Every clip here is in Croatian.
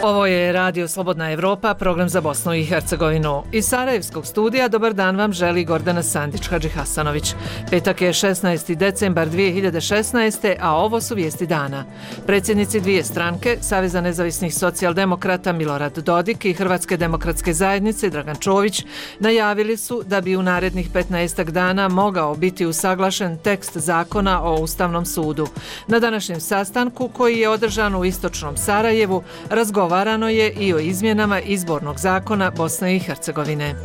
Ovo je Radio Slobodna Evropa, program za Bosnu i Hercegovinu. Iz Sarajevskog studija dobar dan vam želi Gordana Sandić-Hadžihasanović. Petak je 16. decembar 2016. a ovo su vijesti dana. Predsjednici dvije stranke, Saveza nezavisnih socijaldemokrata Milorad Dodik i Hrvatske demokratske zajednice Dragan Čović, najavili su da bi u narednih 15 dana mogao biti usaglašen tekst zakona o Ustavnom sudu. Na današnjem sastanku, koji je održan u istočnom Sarajevu, razgovarano je i o izmjenama izbornog zakona Bosne i Hercegovine.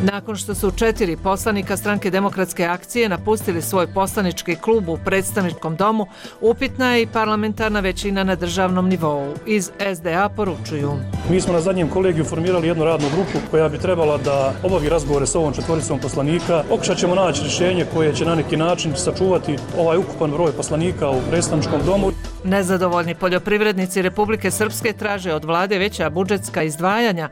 Nakon što su 4 poslanika Stranke demokratske akcije napustili svoj poslanički klub u predstavničkom domu, upitna je i parlamentarna većina na državnom nivou. Iz SDA poručuju: Mi smo na zadnjem kolegiju formirali jednu radnu grupu koja bi trebala da obavi razgovore s ovom četvoricom poslanika. Pokušat ćemo naći rješenje koje će na neki način sačuvati ovaj ukupan broj poslanika u predstavničkom domu. Nezadovoljni poljoprivrednici Republike Srpske traže od vlade veća budžetska izdvajanja,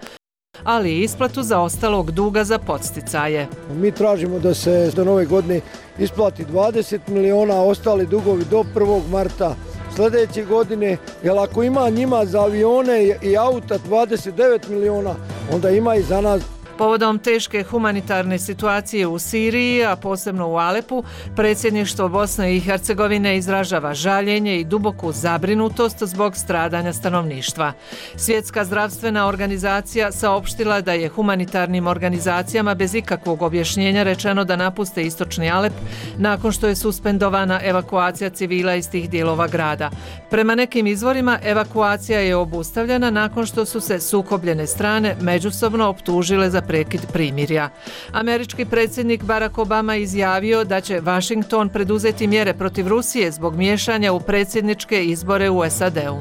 ali i isplatu zaostalog duga za podsticaje. Mi tražimo da se do nove godine isplati 20 miliona, a ostali dugovi do 1. marta sljedeće godine, jer ako ima njima za avione i auta 29 miliona, onda ima i za nas. Povodom teške humanitarne situacije u Siriji, a posebno u Alepu, predsjedništvo Bosne i Hercegovine izražava žaljenje i duboku zabrinutost zbog stradanja stanovništva. Svjetska zdravstvena organizacija saopštila da je humanitarnim organizacijama bez ikakvog objašnjenja rečeno da napuste istočni Alep nakon što je suspendovana evakuacija civila iz tih dijelova grada. Prema nekim izvorima, evakuacija je obustavljena nakon što su se sukobljene strane međusobno optužile za prekid primirja. Američki predsjednik Barack Obama izjavio da će Washington preduzeti mjere protiv Rusije zbog miješanja u predsjedničke izbore u SAD-u.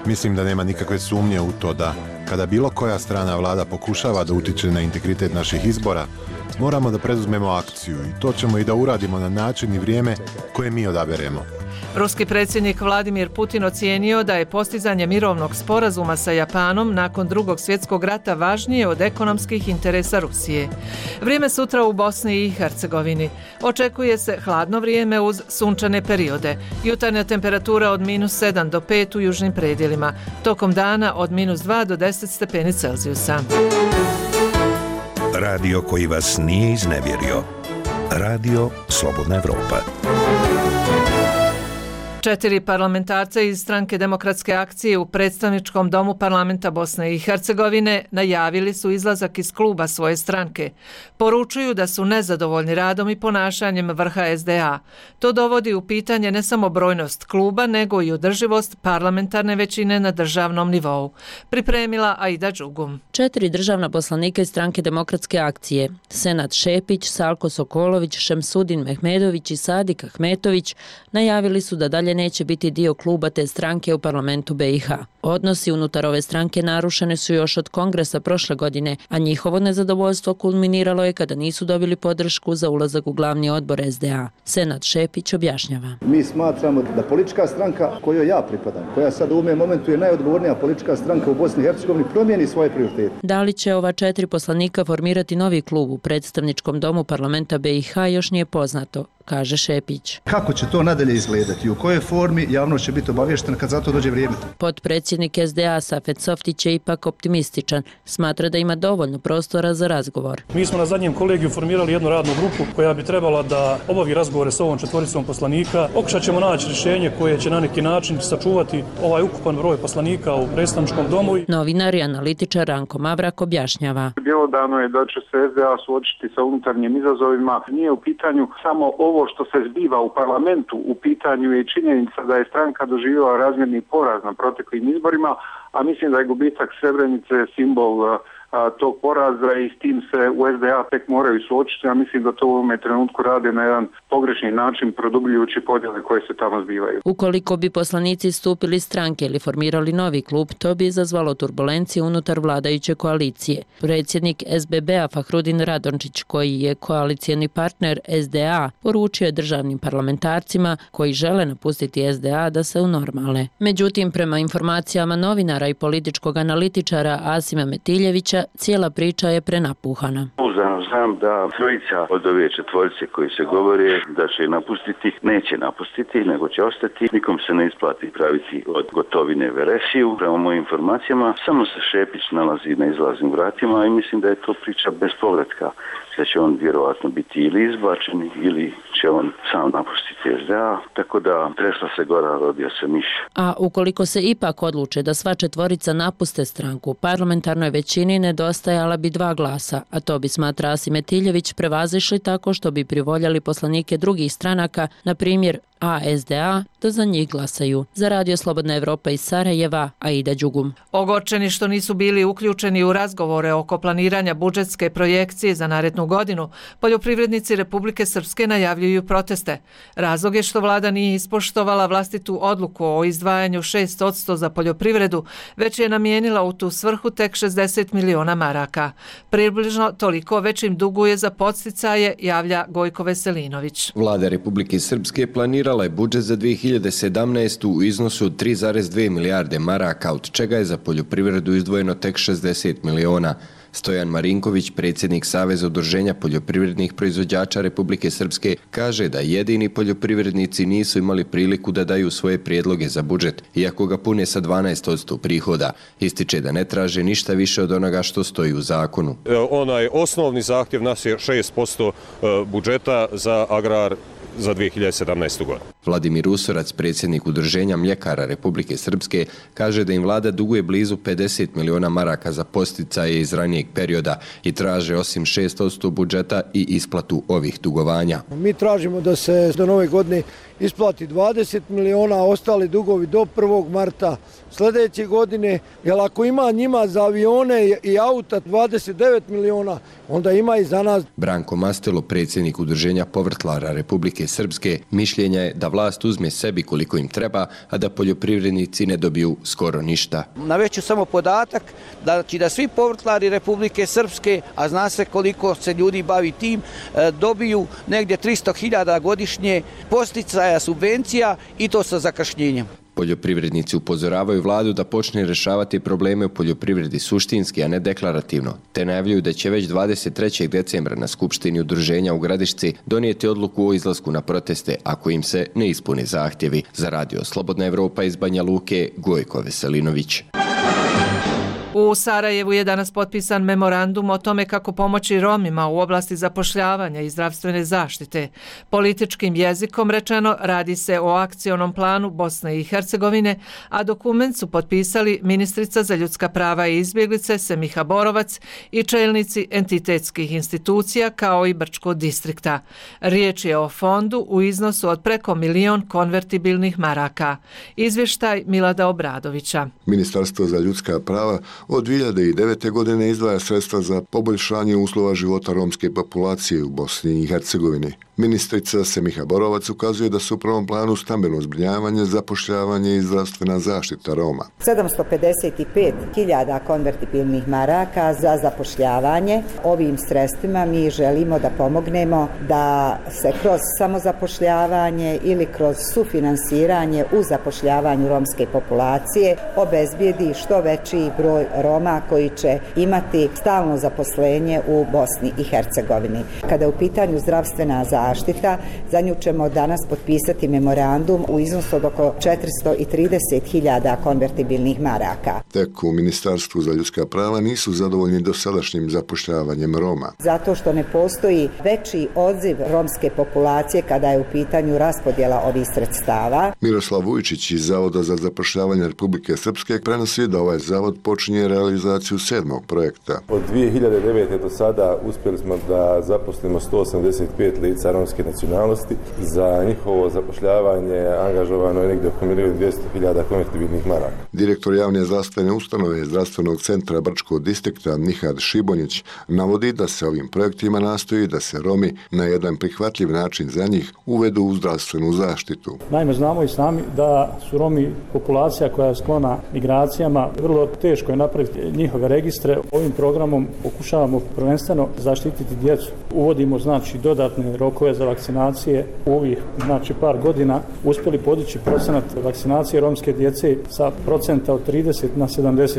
Mislim da nema nikakve sumnje u to da, kada bilo koja strana vlada pokušava da utiče na integritet naših izbora, moramo da preduzmemo akciju i to ćemo i da uradimo na način i vrijeme koje mi odaberemo. Ruski predsjednik Vladimir Putin ocijenio da je postizanje mirovnog sporazuma sa Japanom nakon Drugog svjetskog rata važnije od ekonomskih interesa Rusije. Vrijeme sutra u Bosni i Hercegovini. Očekuje se hladno vrijeme uz sunčane periode. Jutarnja temperatura od -7 do 5 u južnim predjelima. Tokom dana od -2 do 10 stepeni Celzijusa. Radio koji vas nije iznevjerio. Radio Slobodna Evropa. 4 parlamentarca iz Stranke demokratske akcije u predstavničkom domu parlamenta Bosne i Hercegovine najavili su izlazak iz kluba svoje stranke. Poručuju da su nezadovoljni radom i ponašanjem vrha SDA. To dovodi u pitanje ne samo brojnost kluba, nego i održivost parlamentarne većine na državnom nivou. Pripremila Aida Đugum. 4 državna poslanika iz Stranke demokratske akcije, Senad Šepić, Salko Sokolović, Šemsudin Mehmedović i Sadik Ahmetović, najavili su da dalje neće biti dio kluba te stranke u parlamentu BiH. Odnosi unutar ove stranke narušene su još od kongresa prošle godine, a njihovo nezadovoljstvo kulminiralo je kada nisu dobili podršku za ulazak u glavni odbor SDA. Senad Šepić objašnjava. Mi smatramo da politička stranka kojoj ja pripadam, koja sad u ovom momentu je najodgovornija politička stranka u Bosni i Hercegovini, promijeni svoje prioritete. Da li će ova 4 poslanika formirati novi klub u predstavničkom domu parlamenta BiH još nije poznato, kaže Šepić. Kako će to nadalje izgledati? U kojoj formi javnost će biti obavještena kad za to dođe vrijeme? Potpredsjednik SDA Safet Softić je ipak optimističan. Smatra da ima dovoljno prostora za razgovor. Mi smo na zadnjem kolegiju formirali jednu radnu grupu koja bi trebala da obavi razgovore s ovom četvoricom poslanika. Pokušat ćemo naći rješenje koje će na neki način sačuvati ovaj ukupan broj poslanika u predstavničkom domu. Novinar i analitičar Ranko Mavrak objašnjava. Bjelodano je da će se SDA suočiti sa unutarnjim izazovima. Nije u pitanju samo ovo što se zbiva u parlamentu, u pitanju je činjenica da je stranka doživjela razmjerni poraz na proteklim izborima, a mislim da je gubitak Srebrenice simbol tog poraza i s tim se u SDA tek moraju suočiti, a mislim da to u ovome trenutku rade na jedan pogrešni način, produbljujući podjele koje se tamo zbivaju. Ukoliko bi poslanici stupili stranke ili formirali novi klub, to bi izazvalo turbulencije unutar vladajuće koalicije. Predsjednik SBB-a Fahrudin Radončić, koji je koalicijni partner SDA, poručio je državnim parlamentarcima koji žele napustiti SDA da se unormale. Međutim, prema informacijama novinara i političkog analitičara Asima Metiljevića, cijela priča je prenapuhana. Znam da trojica od ove četvorice koji se govore da će napustiti, neće napustiti, nego će ostati. Nikom se ne isplati praviti od gotovine veresiju. Prema mojim informacijama, samo se Šepić nalazi na izlaznim vratima i mislim da je to priča bez povratka. Da će on vjerovatno biti ili izbačen ili će on sam napustiti SDA, tako da tresla se gora, rodio se miš. A ukoliko se ipak odluče da sva četvorica napuste stranku, parlamentarnoj većini nedostajala bi 2 glasa, a to bi, smatra Asim Metiljević, prevazišli tako što bi privoljali poslanike drugih stranaka, na primjer SDA, da za njih glasaju. Za Radio Slobodna Evropa iz Sarajeva, Aida Đugum. Ogorčeni što nisu bili uključeni u razgovore oko planiranja budžetske projekcije za narednu godinu, poljoprivrednici Republike Srpske najavljuju proteste. Razlog je što vlada nije ispoštovala vlastitu odluku o izdvajanju 6% za poljoprivredu, već je namijenila u tu svrhu tek 60 miliona maraka. Približno toliko već im duguje za podsticaje, javlja Gojko Veselinović. Vlada Republike Srpske planirala je budžet za 2017. u iznosu od 3,2 milijarde maraka, od čega je za poljoprivredu izdvojeno tek 60 miliona. Stojan Marinković, predsjednik Saveza udruženja poljoprivrednih proizvođača Republike Srpske, kaže da jedini poljoprivrednici nisu imali priliku da daju svoje prijedloge za budžet, iako ga pune sa 12% prihoda. Ističe da ne traže ništa više od onoga što stoji u zakonu. Onaj osnovni zahtjev nas je 6% budžeta za agrar za 2017. godinu. Vladimir Usorac, predsjednik udruženja mljekara Republike Srpske, kaže da im vlada duguje blizu 50 miliona maraka za podsticaje iz ranijeg perioda i traže osim 6% budžeta i isplatu ovih dugovanja. Mi tražimo da se do nove godine isplati 20 miliona, a ostali dugovi do 1. marta sljedeće godine, jer ako ima njima za avione i auta 29 miliona, onda ima i za nas. Branko Mastelo, predsjednik udruženja povrtlara Republike Srpske, mišljenja je da vlast uzme sebi koliko im treba, a da poljoprivrednici ne dobiju skoro ništa. Navešću samo podatak da svi povrtlari Republike Srpske, a zna se koliko se ljudi bavi tim, dobiju negdje 300.000 godišnje podsticaja, subvencija i to sa zakašnjenjem. Poljoprivrednici upozoravaju vladu da počne rješavati probleme u poljoprivredi suštinski, a ne deklarativno, te najavljuju da će već 23. decembra na Skupštini udruženja u Gradišci donijeti odluku o izlasku na proteste ako im se ne ispune zahtjevi. Za Radio Slobodna Evropa iz Banja Luke, Gojko Veselinović. U Sarajevu je danas potpisan memorandum o tome kako pomoći Romima u oblasti zapošljavanja i zdravstvene zaštite. Političkim jezikom rečeno radi se o akcionom planu Bosne i Hercegovine, a dokument su potpisali ministrica za ljudska prava i izbjeglice Semiha Borovac i čelnici entitetskih institucija kao i Brčkog distrikta. Riječ je o fondu u iznosu od preko 1 milion konvertibilnih maraka. Izvještaj Milada Obradovića. Ministarstvo za ljudska prava od 2009. godine izdvaja sredstva za poboljšanje uslova života romske populacije u Bosni i Hercegovini. Ministrica Semiha Borovac ukazuje da su u prvom planu stambeno zbrinjavanje, zapošljavanje i zdravstvena zaštita Roma. 755.000 konvertibilnih maraka za zapošljavanje. Ovim sredstvima mi želimo da pomognemo da se kroz samozapošljavanje ili kroz sufinansiranje u zapošljavanju romske populacije obezbijedi što veći broj Roma koji će imati stalno zaposlenje u Bosni i Hercegovini. Kada je u pitanju zdravstvena zaštita, za nju ćemo danas potpisati memorandum u iznosu od oko 430.000 konvertibilnih maraka. Tek u Ministarstvu za ljudska prava nisu zadovoljni dosadašnjim zapošljavanjem Roma. Zato što ne postoji veći odziv romske populacije kada je u pitanju raspodjela ovih sredstava. Miroslav Vujčić iz Zavoda za zapošljavanje Republike Srpske prenosi da ovaj zavod počinje realizaciju 7. projekta. Od 2009. do sada uspjeli smo da zaposlimo 185 lica romske nacionalnosti. Za njihovo zapošljavanje angažovano je negdje oko 1.200.000 konvertibilnih maraka. Direktor javne zdravstvene ustanove Zdravstvenog centra Brčkog distrikta Nihad Šibonjić navodi da se ovim projektima nastoji da se Romi na jedan prihvatljiv način za njih uvedu u zdravstvenu zaštitu. Naime, znamo i sami da su Romi populacija koja je sklona migracijama. Vrlo teško je napraviti napraviti njihove registre. Ovim programom pokušavamo prvenstveno zaštititi djecu. Uvodimo znači dodatne rokove za vakcinacije. U ovih znači par godina uspjeli podići procenat vakcinacije romske djece sa procenta od 30 na 70%.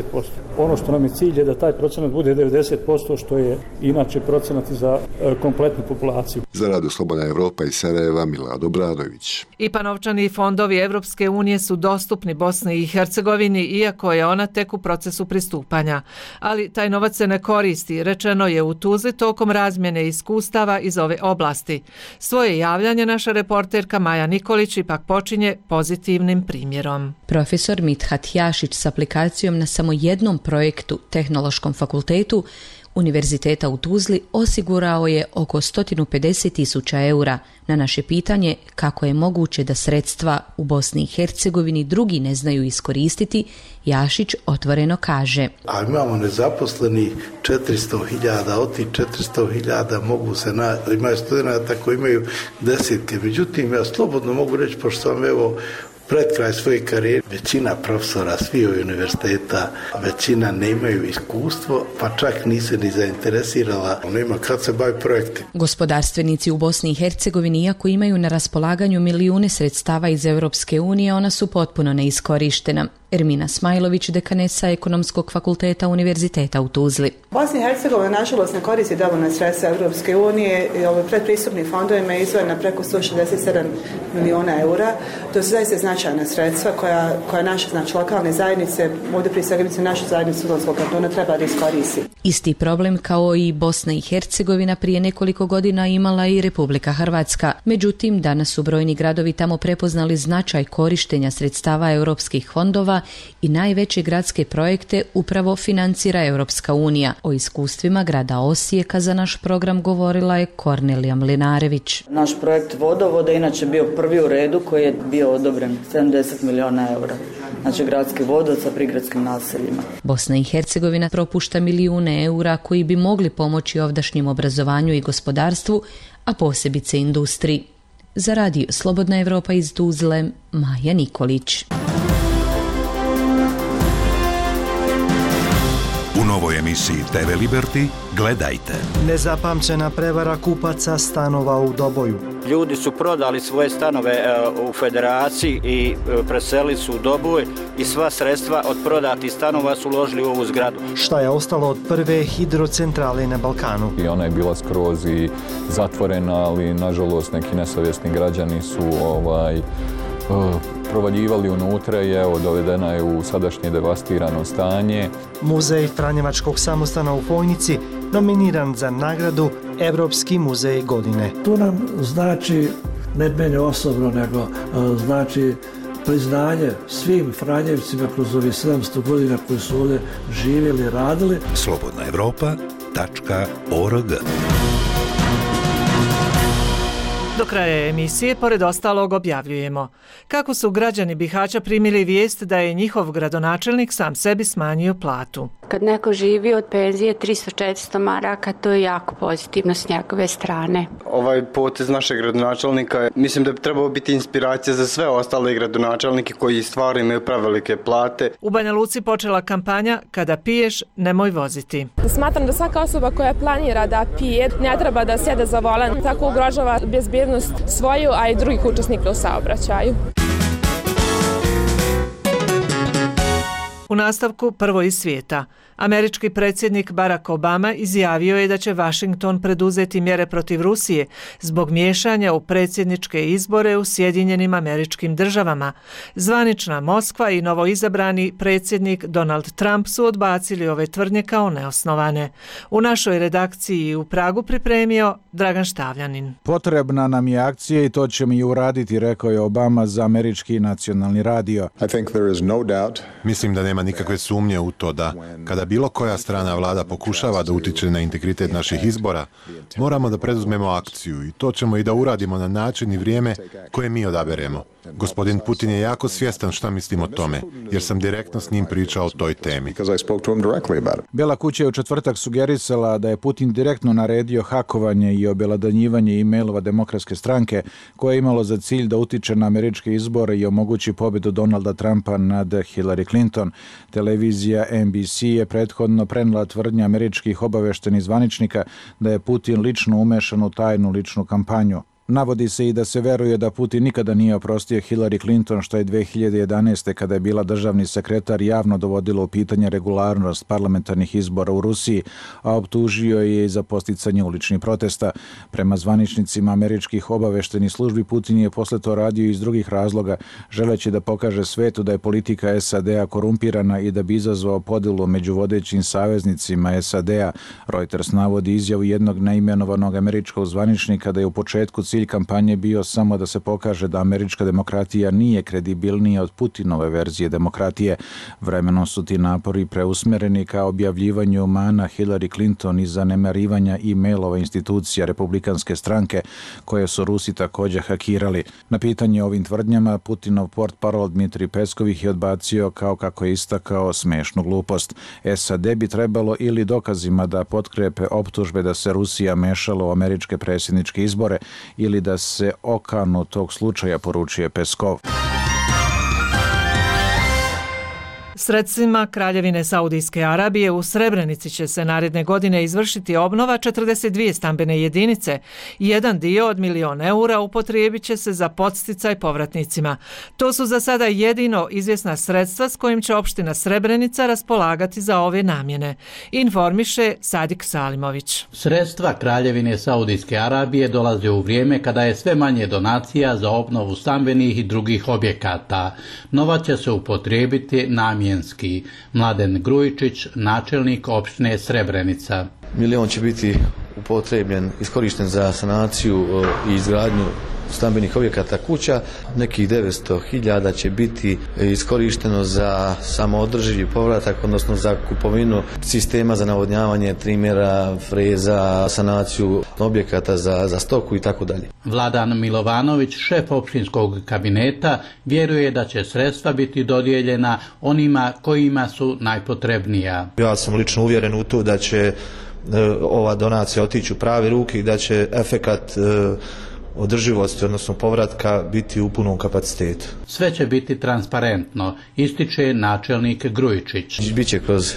Ono što nam je cilj je da taj procenat bude 90%, što je inače procenat za kompletnu populaciju. Za Radio Slobodna Evropa iz Sarajeva, Milad Obradović. IPA novčani fondovi Evropske unije su dostupni Bosni i Hercegovini, iako je ona tek u procesu pristupanja. Ali taj novac se ne koristi, rečeno je u Tuzli tokom razmjene iskustava iz ove oblasti. Svoje javljanje naša reporterka Maja Nikolić ipak počinje pozitivnim primjerom. Profesor Mithat Jašić s aplikacijom na samo jednom projektu Tehnološkom fakultetu Univerziteta u Tuzli osigurao je oko 150.000 eura. Na naše pitanje kako je moguće da sredstva u Bosni i Hercegovini drugi ne znaju iskoristiti, Jašić otvoreno kaže: A imamo nezaposlenih 400.000, od tih 400.000 mogu se imaju studenta koji imaju desetke. Međutim, ja slobodno mogu reći, pošto sam pred kraj svoje karijere, većina profesora svih univerziteta, većina nemaju iskustvo, pa čak nise ni zainteresirala, nema kad se bavi projekti. Gospodarstvenici u Bosni i Hercegovini, iako imaju na raspolaganju milijune sredstava iz Europske unije, ona su potpuno neiskorištena. Ermina Smajlović, dekanesa Ekonomskog fakulteta Univerziteta u Tuzli. Bosna i Hercegovina nažalost ne koristi dovoljno sredstva Europske unije i ove predpristupnim fondovima je izdvojena preko 167 milijuna eura. To su zaista značajna sredstva koja naše lokalne zajednice, ovdje prije svega naša zajednica Udalskog kantona treba da iskoristi. Isti problem kao i Bosna i Hercegovina prije nekoliko godina imala i Republika Hrvatska. Međutim, danas su brojni gradovi tamo prepoznali značaj korištenja sredstava europskih fondova i najveće gradske projekte upravo financira Europska unija. O iskustvima grada Osijeka za naš program govorila je Kornelija Mlinarević. Naš projekt vodovoda inače bio prvi u redu koji je bio odobren 70 milijuna eura. Znači gradski vodovod sa prigradskim naseljima. Bosna i Hercegovina propušta milijune eura koji bi mogli pomoći ovdašnjem obrazovanju i gospodarstvu, a posebice industriji. Za Radio Slobodna Evropa iz Tuzle, Maja Nikolić. U novoj emisiji TV Liberty gledajte. Nezapamćena prevara kupaca stanova u Doboju. Ljudi su prodali svoje stanove u Federaciji i preselili su u Doboj i sva sredstva od prodatih stanova su uložili u ovu zgradu. Šta je ostalo od prve hidrocentrale na Balkanu? I ona je bila skroz i zatvorena, ali nažalost neki nesavjesni građani su provaljivali unutra i dovedena je u sadašnje devastirano stanje. Muzej Franjevačkog samostana u Fojnici nominiran za nagradu Evropski muzej godine. To nam znači, ne mene osobno, nego znači priznanje svim Franjevcima kroz ovih 700 godina koji su ovdje živjeli i radili. slobodnaevropa.org. Do kraja emisije, pored ostalog, objavljujemo kako su građani Bihaća primili vijest da je njihov gradonačelnik sam sebi smanjio platu. Kad neko živi od penzije 300-400 maraka, to je jako pozitivno s njegove strane. Ovaj potez našeg gradonačelnika, mislim da bi trebalo biti inspiracija za sve ostale gradonačelnike koji stvarno imaju prevelike plate. U Banja Luci počela kampanja Kada piješ, nemoj voziti. Smatram da svaka osoba koja planira da pije ne treba da sjede za volan, tako ugrožava bezbednost svoju, a i drugih učesnika u saobraćaju. U nastavku prvo iz svijeta. Američki predsjednik Barack Obama izjavio je da će Washington preduzeti mjere protiv Rusije zbog miješanja u predsjedničke izbore u Sjedinjenim Američkim Državama. Zvanična Moskva i novoizabrani predsjednik Donald Trump su odbacili ove tvrdnje kao neosnovane. U našoj redakciji u Pragu pripremio Dragan Štavljanin. Potrebna nam je akcija i to ćemo i uraditi, rekao je Obama za američki nacionalni radio. Mislim da nema nikakve sumnje u to da kada bilo koja strana vlada pokušava da utiče na integritet naših izbora, moramo da preduzmemo akciju i to ćemo i da uradimo na način i vrijeme koje mi odaberemo. Gospodin Putin je jako svjestan šta mislim o tome, jer sam direktno s njim pričao o toj temi. Bela kuća je u četvrtak sugerisala da je Putin direktno naredio hakovanje i objelodanjivanje e-mailova Demokratske stranke, koje je imalo za cilj da utiče na američke izbore i omogući pobjedu Donalda Trumpa nad Hillary Clinton. Televizija NBC je prethodno prenijela tvrdnje američkih obaveštenih zvaničnika da je Putin lično umešan u tajnu ličnu kampanju. Navodi se i da se veruje da Putin nikada nije oprostio Hillary Clinton, što je 2011. kada je bila državni sekretar javno dovodilo u pitanje regularnost parlamentarnih izbora u Rusiji, a optužio je i za posticanje uličnih protesta. Prema zvaničnicima američkih obaveštenih službi, Putin je posle to radio iz drugih razloga, želeći da pokaže svetu da je politika SAD-a korumpirana i da bi izazvao podelu među vodećim saveznicima SAD-a. Reuters navodi izjavu jednog neimenovanog američkog zvaničnika da je u početku cilj kampanje bio samo da se pokaže da američka demokratija nije kredibilnija od Putinove verzije demokratije. Vremenom su ti napori preusmereni ka objavljivanju mana Hillary Clinton i zanemarivanja e-mailova institucija republikanske stranke koje su Rusi također hakirali. Na pitanje o ovim tvrdnjama Putinov portparol Dmitrij Peskov ih je odbacio kao kako je istakao smešnu glupost. SAD bi trebalo ili dokazima da potkrepe optužbe da se Rusija mešala u američke predsjedničke izbore ili da se okanu tog slučaja, poručuje Peskov. Sredstvima Kraljevine Saudijske Arabije u Srebrenici će se naredne godine izvršiti obnova 42 stambene jedinice. Jedan dio od €1.000.000 upotrijebit će se za podsticaj povratnicima. To su za sada jedino izvjesna sredstva s kojim će opština Srebrenica raspolagati za ove namjene, informiše Sadik Salimović. Sredstva Kraljevine Saudijske Arabije dolaze u vrijeme kada je sve manje donacija za obnovu stambenih i drugih objekata. Novac će se upotrijebiti namjenski. Mladen Grujičić, načelnik opštine Srebrenica. Milion će biti upotrebljen, iskorišten za sanaciju i izgradnju stambenih objekata kuća. Nekih 900.000 će biti iskorišteno za samoodrživi povratak, odnosno za kupovinu sistema za navodnjavanje, trimera, freza, sanaciju objekata za stoku i tako dalje. Vladan Milovanović, šef opštinskog kabineta, vjeruje da će sredstva biti dodijeljena onima kojima su najpotrebnija. Ja sam lično uvjeren u to da će ova donacija otići u prave ruke i da će efekat održivosti, odnosno povratka, biti u punom kapacitetu. Sve će biti transparentno, ističe načelnik Grujičić. Biće kroz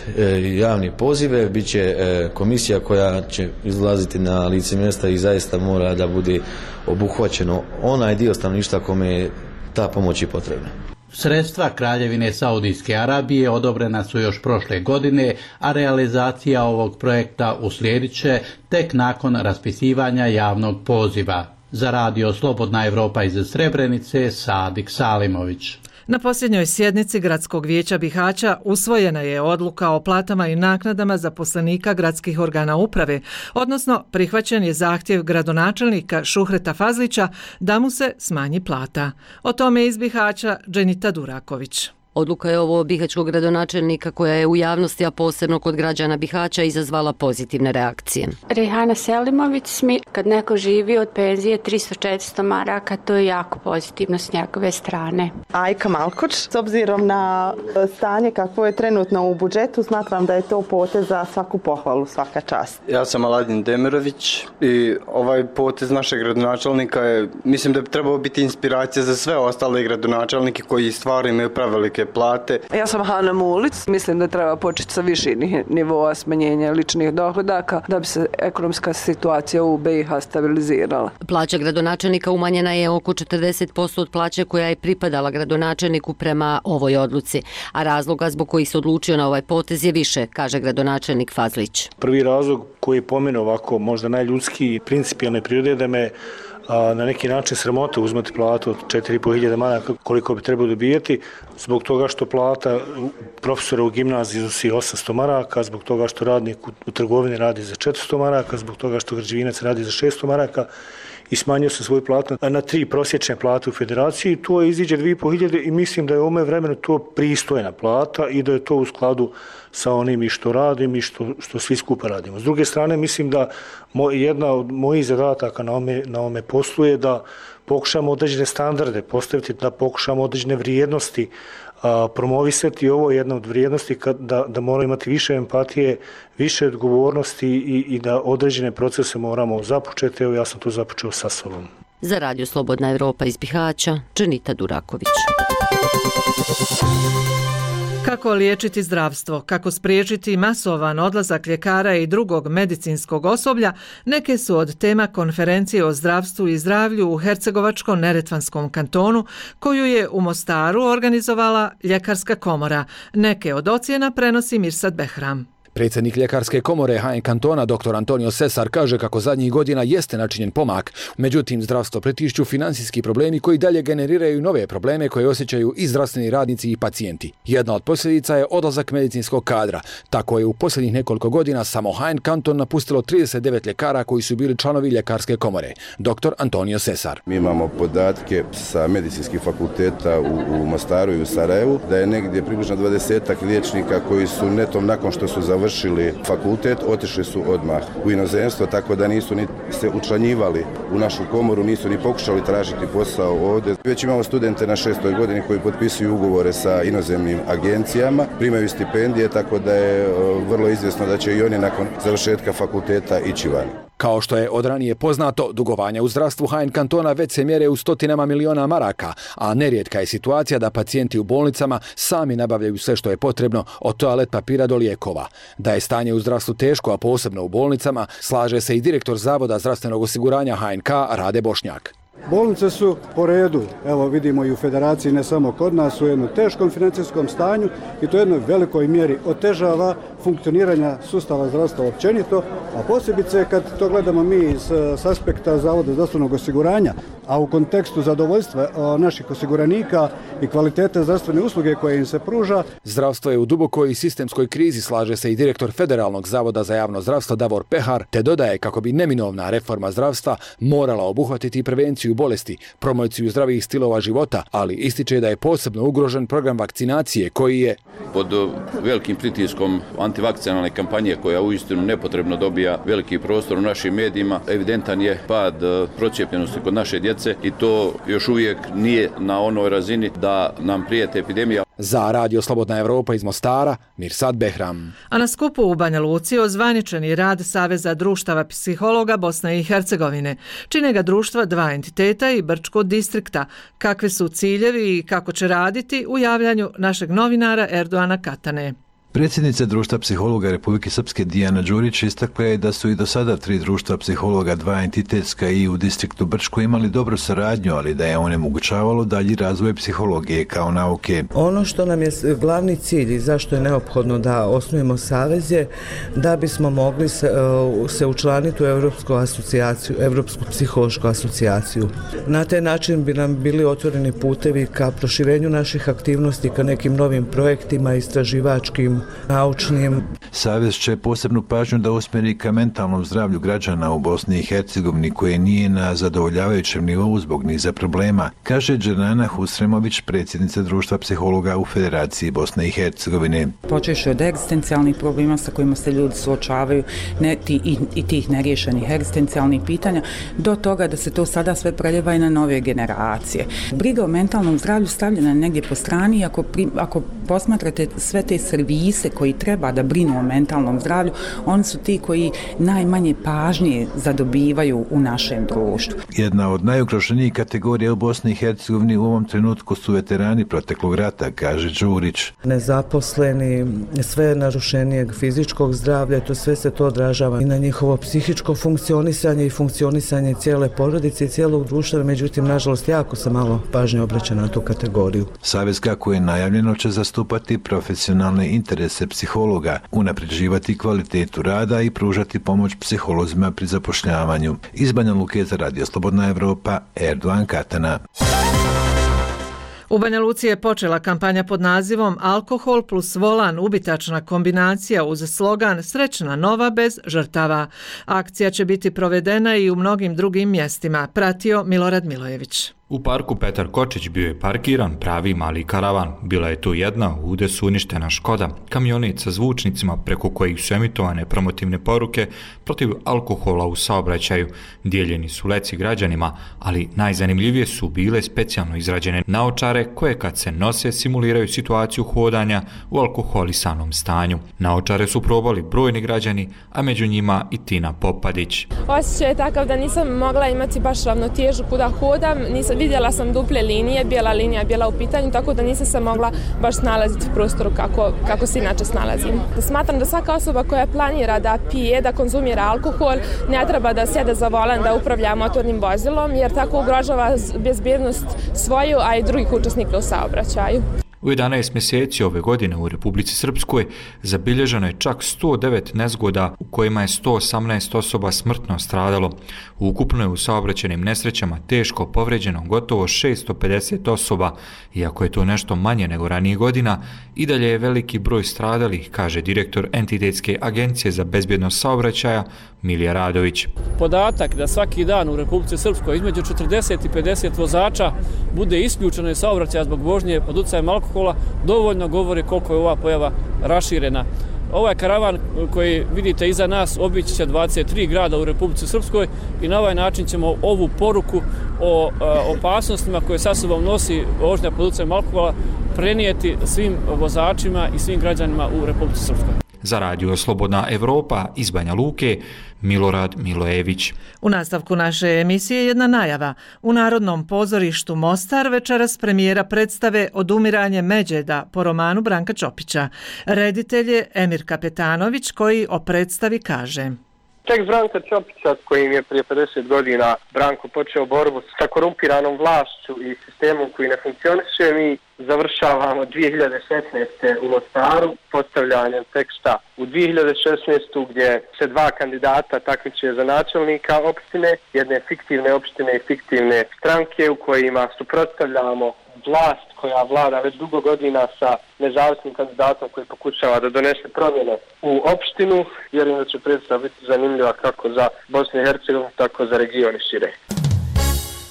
javni pozive, biće komisija koja će izlaziti na lice mjesta i zaista mora da bude obuhvaćeno onaj dio stanovništva kome je ta pomoć i potrebna. Sredstva Kraljevine Saudijske Arabije odobrena su još prošle godine, a realizacija ovog projekta uslijedit će tek nakon raspisivanja javnog poziva. Za radio Slobodna Evropa iz Srebrenice, Sadik Salimović. Na posljednjoj sjednici Gradskog vijeća Bihaća usvojena je odluka o platama i naknadama zaposlenika gradskih organa uprave, odnosno prihvaćen je zahtjev gradonačelnika Šuhreta Fazlića da mu se smanji plata. O tome iz Bihaća Dženita Duraković. Odluka je ovo bihaćkog gradonačelnika koja je u javnosti, a posebno kod građana Bihaća, izazvala pozitivne reakcije. Rejhana Selimović, kad neko živi od penzije 300-400 maraka, to je jako pozitivno s njegove strane. Ajka Malkoč, s obzirom na stanje kakvo je trenutno u budžetu, smatram da je to potez za svaku pohvalu, svaka čast. Ja sam Aladin Demirović i ovaj potez našeg gradonačelnika je, mislim da bi trebalo biti inspiracija za sve ostale gradonačelnike koji stvarno imaju prevelike plate. Ja sam Hana Mulic, mislim da treba početi sa viših nivoa smanjenja ličnih dohodaka da bi se ekonomska situacija u BiH stabilizirala. Plaća gradonačelnika umanjena je oko 40% od plaće koja je pripadala gradonačelniku prema ovoj odluci, a razloga zbog kojih se odlučio na ovaj potez je više, kaže gradonačelnik Fazlić. Prvi razlog koji je po meni ovako možda najljudski i principijalne prirode da me na neki način sramota uzmati platu od 4.500 maraka koliko bi trebalo dobijati, zbog toga što plata profesora u gimnaziji iznosi 800 maraka, zbog toga što radnik u trgovini radi za 400 maraka, zbog toga što građevinac radi za 600 maraka i smanjio sam svoju platu na 3 prosječne plate u federaciji. To iziđe 2.500 i mislim da je u ovom vremenu to pristojna plata i da je to u skladu sa onim i što radim i što svi skupa radimo. S druge strane, mislim da jedna od mojih zadataka na ome poslu je da pokušamo određene standarde postaviti, da pokušamo određene vrijednosti promovisati. Ovo je jedna od vrijednosti da moramo imati više empatije, više odgovornosti i da određene procese moramo započeti. Evo ja sam to započeo sa sobom. Za radio Slobodna Evropa iz Bihaća, Dženita Duraković. Kako liječiti zdravstvo, kako spriječiti masovan odlazak ljekara i drugog medicinskog osoblja, neke su od tema konferencije o zdravstvu i zdravlju u Hercegovačko-neretvanskom kantonu, koju je u Mostaru organizovala Ljekarska komora. Neke od ocjena prenosi Mirsad Behram. Predsjednik Ljekarske komore HN kantona dr. Antonio Cesar kaže kako zadnjih godina jeste načinjen pomak, međutim zdravstvo pritišću financijski problemi koji dalje generiraju nove probleme koje osjećaju i zdravstveni radnici i pacijenti. Jedna od posljedica je odlazak medicinskog kadra. Tako je u posljednjih nekoliko godina samo HN kanton napustilo 39 ljekara koji su bili članovi Ljekarske komore. Dr. Antonio Cesar. Mi imamo podatke sa medicinskih fakulteta u Mostaru i u Sarajevu da je negdje približno 20 liječnika koji su netom nakon što su završili fakultet, otišli su odmah u inozemstvo, tako da nisu ni se učlanjivali u našu komoru, nisu ni pokušali tražiti posao ovdje. Već imamo studente na 6. godini koji potpisuju ugovore sa inozemnim agencijama, primaju stipendije, tako da je vrlo izvjesno da će i oni nakon završetka fakulteta ići van. Kao što je od ranije poznato, dugovanja u zdravstvu HN kantona već se mjere u stotinama miliona maraka, a nerijetka je situacija da pacijenti u bolnicama sami nabavljaju sve što je potrebno, od toalet papira do lijekova. Da je stanje u zdravstvu teško, a posebno u bolnicama, slaže se i direktor Zavoda zdravstvenog osiguranja HNK Rade Bošnjak. Bolnice su po redu, evo vidimo i u federaciji, ne samo kod nas, u jednom teškom financijskom stanju i to jednoj velikoj mjeri otežava funkcioniranja sustava zdravstva općenito, a posebice kad to gledamo mi s aspekta Zavoda zdravstvenog osiguranja, a u kontekstu zadovoljstva naših osiguranika i kvalitete zdravstvene usluge koje im se pruža. Zdravstvo je u dubokoj i sistemskoj krizi, slaže se i direktor Federalnog zavoda za javno zdravstvo Davor Pehar, te dodaje kako bi neminovna reforma zdravstva morala obuhvatiti prevenciju bolesti, promociju zdravih stilova života, ali ističe da je posebno ugrožen program vakcinacije koji je pod velikim pritiskom antivakcinalne kampanje koja uistinu nepotrebno dobija veliki prostor u našim medijima. Evidentan je pad procijepljenosti kod naše djece i to još uvijek nije na onoj razini da nam prijete epidemija. Za Radio Slobodna Evropa iz Mostara, Mirsad Behram. A na skupu u Banja Luci ozvaničen je rad Saveza društava psihologa Bosne i Hercegovine. Čine ga društva dva entiteta i Brčko distrikta. Kakvi su ciljevi i kako će raditi u javljanju našeg novinara Erdoana Katane. Predsjednica društva psihologa Republike Srpske Dijana Đurić istakla je da su i do sada 3 društva psihologa, 2 entitetska i u distriktu Brčko imali dobru saradnju, ali da je onemogućavalo dalji razvoj psihologije kao nauke. Ono što nam je glavni cilj i zašto je neophodno da osnujemo savez je da bismo mogli se učlaniti u Europsku asocijaciju, Europsku psihološku asocijaciju. Na taj način bi nam bili otvoreni putevi ka proširenju naših aktivnosti, ka nekim novim projektima, istraživačkim, naučnim. Savez će posebnu pažnju da usmjeri ka mentalnom zdravlju građana u Bosni i Hercegovini koje nije na zadovoljavajućem nivou zbog niza problema, kaže Dženana Husremović, predsjednica društva psihologa u Federaciji Bosne i Hercegovine. Počeši od egzistencijalnih problema sa kojima se ljudi suočavaju i tih neriješenih egzistencijalnih pitanja, do toga da se to sada sve preljeva i na nove generacije. Briga o mentalnom zdravlju stavljena je negdje po strani, ako posmatrate sve te servise koji treba da brinu o mentalnom zdravlju, oni su ti koji najmanje pažnje zadobivaju u našem društvu. Jedna od najugroženijih kategorija u Bosni i Hercegovini u ovom trenutku su veterani proteklog rata, kaže Đurić. Nezaposleni, sve narušenijeg fizičkog zdravlja, to sve se to odražava i na njihovo psihičko funkcionisanje i funkcionisanje cijele porodice i cijelog društva, međutim, nažalost, jako se malo pažnje obraća na tu kategoriju. Savez, kako je najavljeno, će zastupati profesionalne interese psihologa, unapređivati kvalitetu rada i pružati pomoć psiholozima pri zapošljavanju. Iz Banja Luke za Radio Slobodna Evropa, Erdoan Katana. U Banja Luci je počela kampanja pod nazivom Alkohol plus volan, ubitačna kombinacija uz slogan Srećna nova bez žrtava. Akcija će biti provedena i u mnogim drugim mjestima, pratio Milorad Milojević. U parku Petar Kočić bio je parkiran pravi mali karavan. Bila je tu jedna u udesu uništena Škoda, kamionet sa zvučnicima preko kojih su emitovane promotivne poruke protiv alkohola u saobraćaju. Dijeljeni su leci građanima, ali najzanimljivije su bile specijalno izrađene naočare koje kad se nose simuliraju situaciju hodanja u alkoholisanom stanju. Naočare su probali brojni građani, a među njima i Tina Popadić. Osjećaj je takav da nisam mogla imati baš ravnotežu kuda hodam, nisam vidjela sam duple linije, bijela linija je bila u pitanju, tako da nisam se mogla baš snalaziti u prostoru kako se inače snalazim. Smatram da svaka osoba koja planira da pije, da konzumira alkohol, ne treba da sjede za volan da upravlja motornim vozilom, jer tako ugrožava bezbjednost svoju, a i drugih učesnika u saobraćaju. U 11 mjeseci ove godine u Republici Srpskoj zabilježeno je čak 109 nezgoda u kojima je 118 osoba smrtno stradalo. Ukupno je u saobraćajnim nesrećama teško povređeno gotovo 650 osoba. Iako je to nešto manje nego ranijih godina, i dalje je veliki broj stradalih, kaže direktor Entitetske agencije za bezbjednost saobraćaja Milija Radović. Podatak da svaki dan u Republici Srpskoj između 40 i 50 vozača bude isključeno iz saobraćaja zbog vožnje pod utjecajem alkohola dovoljno govori koliko je ova pojava raširena. Ovaj karavan koji vidite iza nas obići će 23 grada u Republici Srpskoj i na ovaj način ćemo ovu poruku o opasnostima koje sa sobom nosi vožnja pod utjecajem alkohola prenijeti svim vozačima i svim građanima u Republici Srpskoj. Za Radio Slobodna Evropa iz Banja Luke, Milorad Milojević. U nastavku naše emisije jedna najava. U Narodnom pozorištu Mostar večeras premijera predstave Odumiranje Međeda po romanu Branka Ćopića. Reditelj je Emir Kapetanović koji o predstavi kaže: Tekst Branka Ćopića, s kojim je prije 50 godina Branko počeo borbu sa korumpiranom vlašću i sistemom koji ne funkcioniše, mi završavamo 2016. u Mostaru postavljanjem teksta u 2016. gdje se dva kandidata takmiče za načelnika opštine, jedne fiktivne opštine i fiktivne stranke u kojima suprotstavljamo vlast koja vlada već dugo godina sa nezavisnim kandidatom koji pokušava da donese promjene u opštinu. Vjerujem da će predstava biti zanimljiva kako za Bosnu i Hercegovinu, tako za region i šire.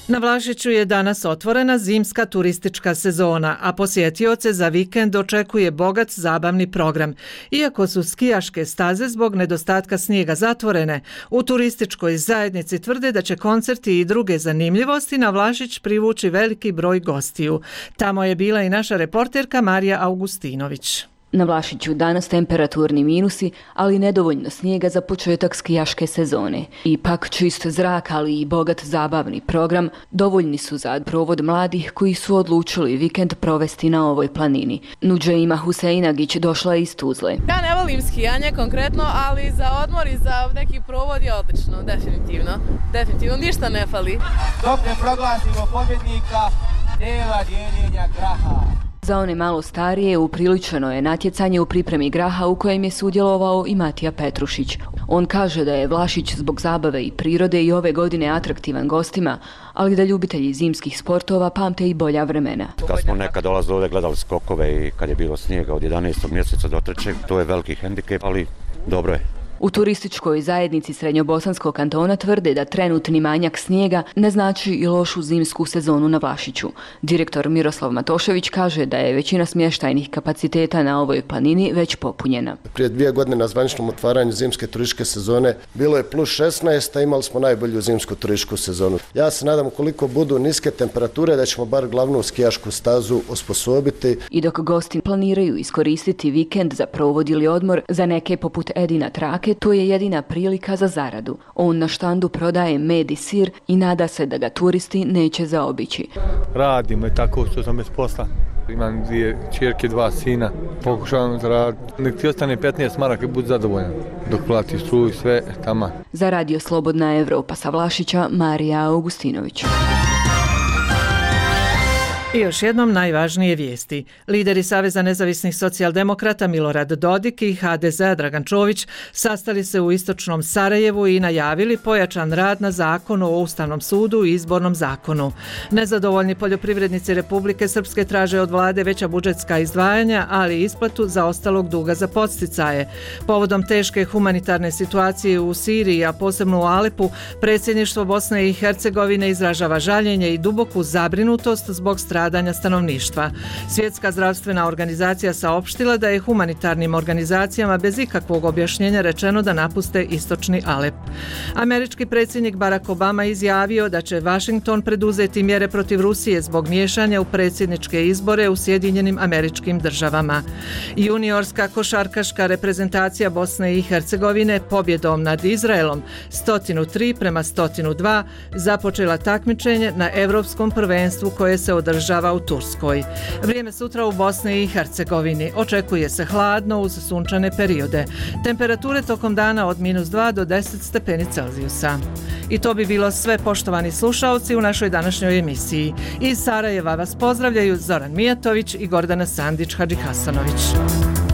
Na Vlašiću je danas otvorena zimska turistička sezona, a posjetioce za vikend očekuje bogat zabavni program. Iako su skijaške staze zbog nedostatka snijega zatvorene, u turističkoj zajednici tvrde da će koncerti i druge zanimljivosti na Vlašić privući veliki broj gostiju. Tamo je bila i naša reporterka Marija Augustinović. Na Vlašiću danas temperaturni minusi, ali nedovoljno snijega za početak skijaške sezone. Ipak čist zrak, ali i bogat zabavni program dovoljni su za provod mladih koji su odlučili vikend provesti na ovoj planini. Nuđeima Huseinagić došla je iz Tuzle. Ja ne volim skijanje konkretno, ali za odmor i za neki provod je odlično, definitivno. Definitivno, ništa ne fali. Dok ne proglasimo pobjednika, nema dijeljenja graha. Za one malo starije upriličeno je natjecanje u pripremi graha u kojem je sudjelovao i Matija Petrušić. On kaže da je Vlašić zbog zabave i prirode i ove godine atraktivan gostima, ali da ljubitelji zimskih sportova pamte i bolja vremena. Kad smo nekad dolazili ovdje, gledali skokove i kad je bilo snijega od 11. mjeseca do 3. to je veliki hendikep, ali dobro je. U turističkoj zajednici Srednjobosanskog kantona tvrde da trenutni manjak snijega ne znači i lošu zimsku sezonu na Vlašiću. Direktor Miroslav Matošević kaže da je većina smještajnih kapaciteta na ovoj planini već popunjena. Prije 2 godine na zvaničnom otvaranju zimske turističke sezone bilo je plus 16, a imali smo najbolju zimsku turističku sezonu. Ja se nadam koliko budu niske temperature da ćemo bar glavnu skijašku stazu osposobiti. I dok gosti planiraju iskoristiti vikend za provod ili odmor, za neke poput Edina Trake to je jedina prilika za zaradu. On na štandu prodaje med i sir i nada se da ga turisti neće zaobići. Radimo i tako što sam bez posla. Imam 2 ćerke, 2 sina. Pokušavam zaraditi. Nek ti ostane 15 maraka i budi zadovoljan. Dok plati struju sve tamo. Za Radio Slobodna Evropa sa Vlašića, Marija Augustinović. I još jednom najvažnije vijesti. Lideri Saveza nezavisnih socijaldemokrata Milorad Dodik i HDZ Dragan Čović sastali se u istočnom Sarajevu i najavili pojačan rad na zakonu o Ustavnom sudu i izbornom zakonu. Nezadovoljni poljoprivrednici Republike Srpske traže od vlade veća budžetska izdvajanja, ali i isplatu zaostalog duga za podsticaje. Povodom teške humanitarne situacije u Siriji, a posebno u Alepu, predsjedništvo Bosne i Hercegovine izražava žaljenje i duboku zabrinutost zbog strategije stradanja stanovništva. Svjetska zdravstvena organizacija saopštila da je humanitarnim organizacijama bez ikakvog objašnjenja rečeno da napuste istočni Alep. Američki predsjednik Barack Obama izjavio da će Washington preduzeti mjere protiv Rusije zbog miješanja u predsjedničke izbore u Sjedinjenim Američkim Državama. Juniorska košarkaška reprezentacija Bosne i Hercegovine pobjedom nad Izraelom 103-102 započela takmičenje na Europskom prvenstvu koje se održava u Turskoj. Vrijeme sutra u Bosni i Hercegovini očekuje se hladno uz sunčane periode. Temperature tokom dana od -2 do 10 stepeni Celzijusa. I to bi bilo sve, poštovani slušalci, u našoj današnjoj emisiji. Iz Sarajeva vas pozdravljaju Zoran Mijatović i Gordana Sandić-Hadžihasanović.